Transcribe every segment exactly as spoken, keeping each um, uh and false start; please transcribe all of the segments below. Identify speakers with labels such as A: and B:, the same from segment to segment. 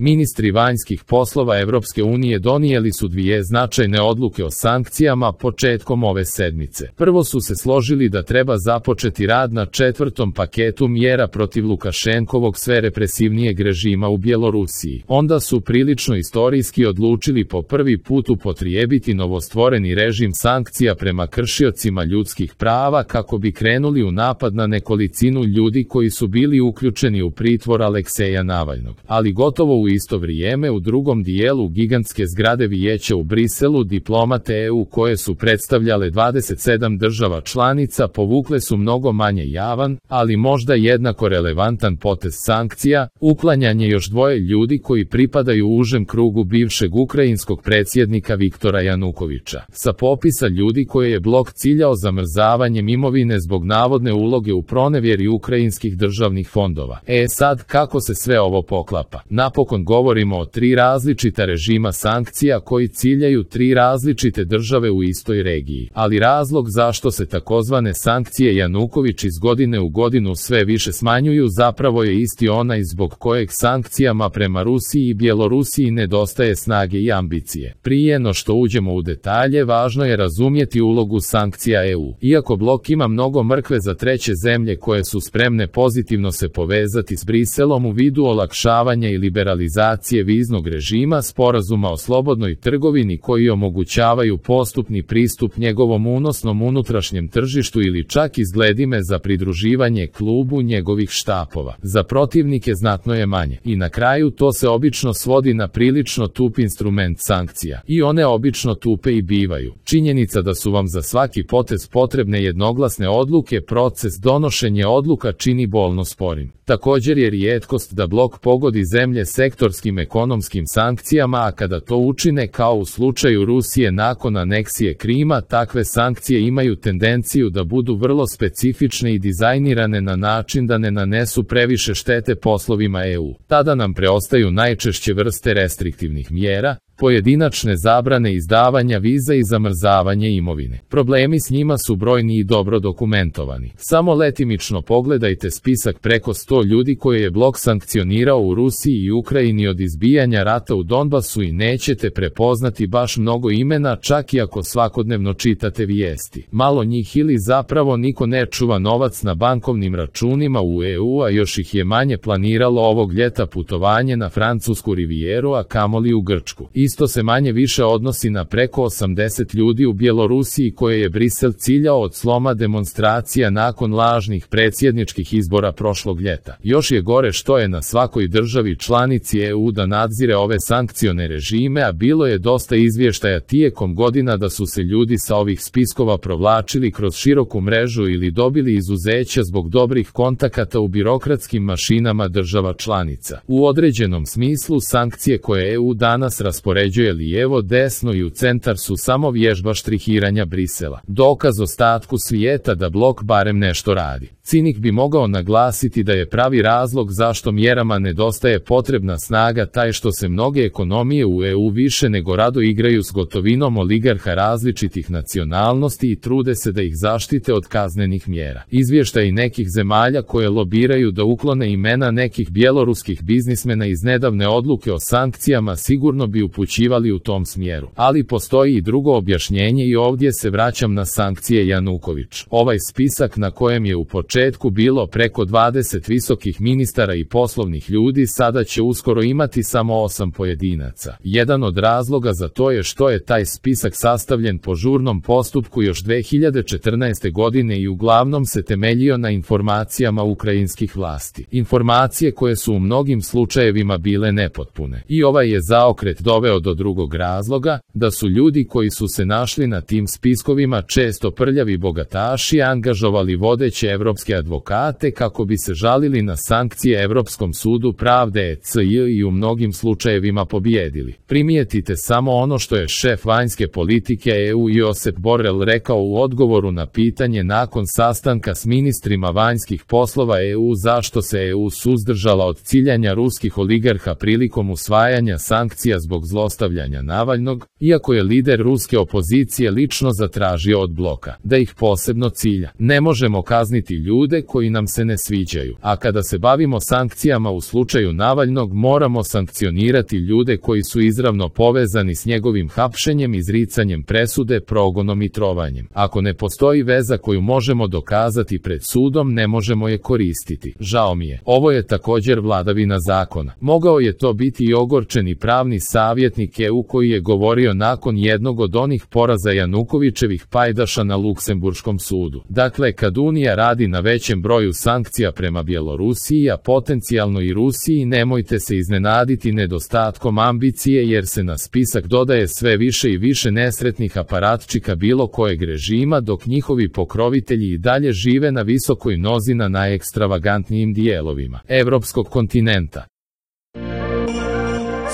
A: Ministri vanjskih poslova Evropske unije donijeli su dvije značajne odluke o sankcijama početkom ove sedmice. Prvo su se složili da treba započeti rad na četvrtom paketu mjera protiv Lukašenkovog sve represivnijeg režima u Bjelorusiji. Onda su prilično istorijski odlučili po prvi put upotrijebiti novostvoreni režim sankcija prema kršiocima ljudskih prava kako bi krenuli u napad na nekolicinu ljudi koji su bili uključeni u pritvor Alekseja Navalnog. Ali gotovo u isto vrijeme u drugom dijelu gigantske zgrade Vijeća u Briselu diplomate E U koje su predstavljale dvadeset sedam država članica povukle su mnogo manje javan, ali možda jednako relevantan potez sankcija, uklanjanje još dvoje ljudi koji pripadaju užem krugu bivšeg ukrajinskog predsjednika Viktora Janukovića. Sa popisa ljudi koje je blok ciljao zamrzavanjem imovine zbog navodne uloge u pronevjeri ukrajinskih državnih fondova. E sad, kako se sve ovo poklapa? Napokon govorimo o tri različita režima sankcija koji ciljaju tri različite države u istoj regiji. Ali razlog zašto se takozvane sankcije Januković iz godine u godinu sve više smanjuju zapravo je isti onaj zbog kojeg sankcijama prema Rusiji i Bjelorusiji nedostaje snage i ambicije. Prije no što uđemo u detalje, važno je razumjeti ulogu sankcija E U. Iako blok ima mnogo mrkve za treće zemlje koje su spremne pozitivno se povezati s Briselom u vidu olakšavanja i liberalizacije viznog režima, sporazuma o slobodnoj trgovini koji omogućavaju postupni pristup njegovom unosnom unutrašnjem tržištu ili čak izgledime za pridruživanje klubu njegovih štapova. Za protivnike znatno je manje. I na kraju to se obično svodi na prilično tup instrument sankcija. I one obično tupe i bivaju. Činjenica da su vam za svaki potez potrebne jednoglasne odluke, proces donošenja odluka čini bolno sporim. Također je rijetkost da blok pogodi zemlje sektorskim ekonomskim sankcijama, a kada to učine kao u slučaju Rusije nakon aneksije Krima, takve sankcije imaju tendenciju da budu vrlo specifične i dizajnirane na način da ne nanesu previše štete poslovima E U. Tada nam preostaju najčešće vrste restriktivnih mjera, pojedinačne zabrane izdavanja viza i zamrzavanje imovine. Problemi s njima su brojni i dobro dokumentovani. Samo letimično pogledajte spisak preko sto ljudi koje je blok sankcionirao u Rusiji i Ukrajini od izbijanja rata u Donbasu i nećete prepoznati baš mnogo imena čak i ako svakodnevno čitate vijesti. Malo njih ili zapravo niko ne čuva novac na bankovnim računima u E U, a još ih je manje planiralo ovog ljeta putovanje na francusku rivijeru, a kamoli u Grčku. Isto se manje više odnosi na preko osamdeset ljudi u Bjelorusiji koje je Brisel ciljao od sloma demonstracija nakon lažnih predsjedničkih izbora prošlog ljeta. Još je gore što je na svakoj državi članici E U da nadzire ove sankcione režime, a bilo je dosta izvještaja tijekom godina da su se ljudi sa ovih spiskova provlačili kroz široku mrežu ili dobili izuzeća zbog dobrih kontakata u birokratskim mašinama država članica. U određenom smislu sankcije koje E U danas raspoređuje lijevo, desno i u centar su samo vježba štrihiranja Brisela. Dokaz ostatku svijeta da blok barem nešto radi. Cinik bi mogao naglasiti da je pravi razlog zašto mjerama nedostaje potrebna snaga taj što se mnoge ekonomije u E U više nego rado igraju s gotovinom oligarha različitih nacionalnosti i trude se da ih zaštite od kaznenih mjera. Izvještaji nekih zemalja koje lobiraju da uklone imena nekih bjeloruskih biznismena iz nedavne odluke o sankcijama sigurno bi upućivali u tom smjeru. Ali postoji i drugo objašnjenje i ovdje se vraćam na sankcije Januković. Ovaj spisak na kojem je u početku bilo preko dvadeset visokih ministara i poslovnih ljudi sada će uskoro imati samo osam pojedinaca. Jedan od razloga za to je što je taj spisak sastavljen po žurnom postupku još dve hiljade četrnaeste. godine i uglavnom se temeljio na informacijama ukrajinskih vlasti. Informacije koje su u mnogim slučajevima bile nepotpune. I ovaj je zaokret doveo do drugog razloga, da su ljudi koji su se našli na tim spiskovima često prljavi bogataši angažovali vodeće evropske advokate kako bi se žalili na sankcije Europskom sudu pravde E C J i u mnogim slučajevima pobijedili. Primijetite samo ono što je šef vanjske politike E U Josep Borrell rekao u odgovoru na pitanje nakon sastanka s ministrima vanjskih poslova E U zašto se E U suzdržala od ciljanja ruskih oligarha prilikom usvajanja sankcija zbog zlostavljanja Navalnog, iako je lider ruske opozicije lično zatražio od bloka da ih posebno cilja. Ne možemo kazniti ljude ljude koji nam se ne sviđaju. A kada se bavimo sankcijama u slučaju Navalnog, moramo sankcionirati ljude koji su izravno povezani s njegovim hapšenjem, izricanjem presude, progonom i trovanjem. Ako ne postoji veza koju možemo dokazati pred sudom, ne možemo je koristiti. Žao mi je. Ovo je također vladavina zakona. Mogao je to biti i ogorčeni pravni savjetnik E U koji je govorio nakon jednog od onih poraza Janukovićevih pajdaša na Luksemburškom sudu. Dakle, kad Unija radi na većem broju sankcija prema Bjelorusiji, a potencijalno i Rusiji, nemojte se iznenaditi nedostatkom ambicije, jer se na spisak dodaje sve više i više nesretnih aparatčika bilo kojeg režima, dok njihovi pokrovitelji i dalje žive na visokoj nozi na najekstravagantnijim dijelovima evropskog kontinenta.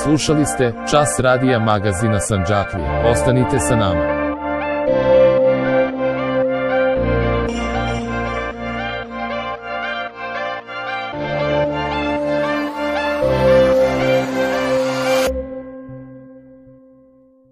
A: Slušali ste Čas radija magazina Sandžaklija. Ostanite sa nama.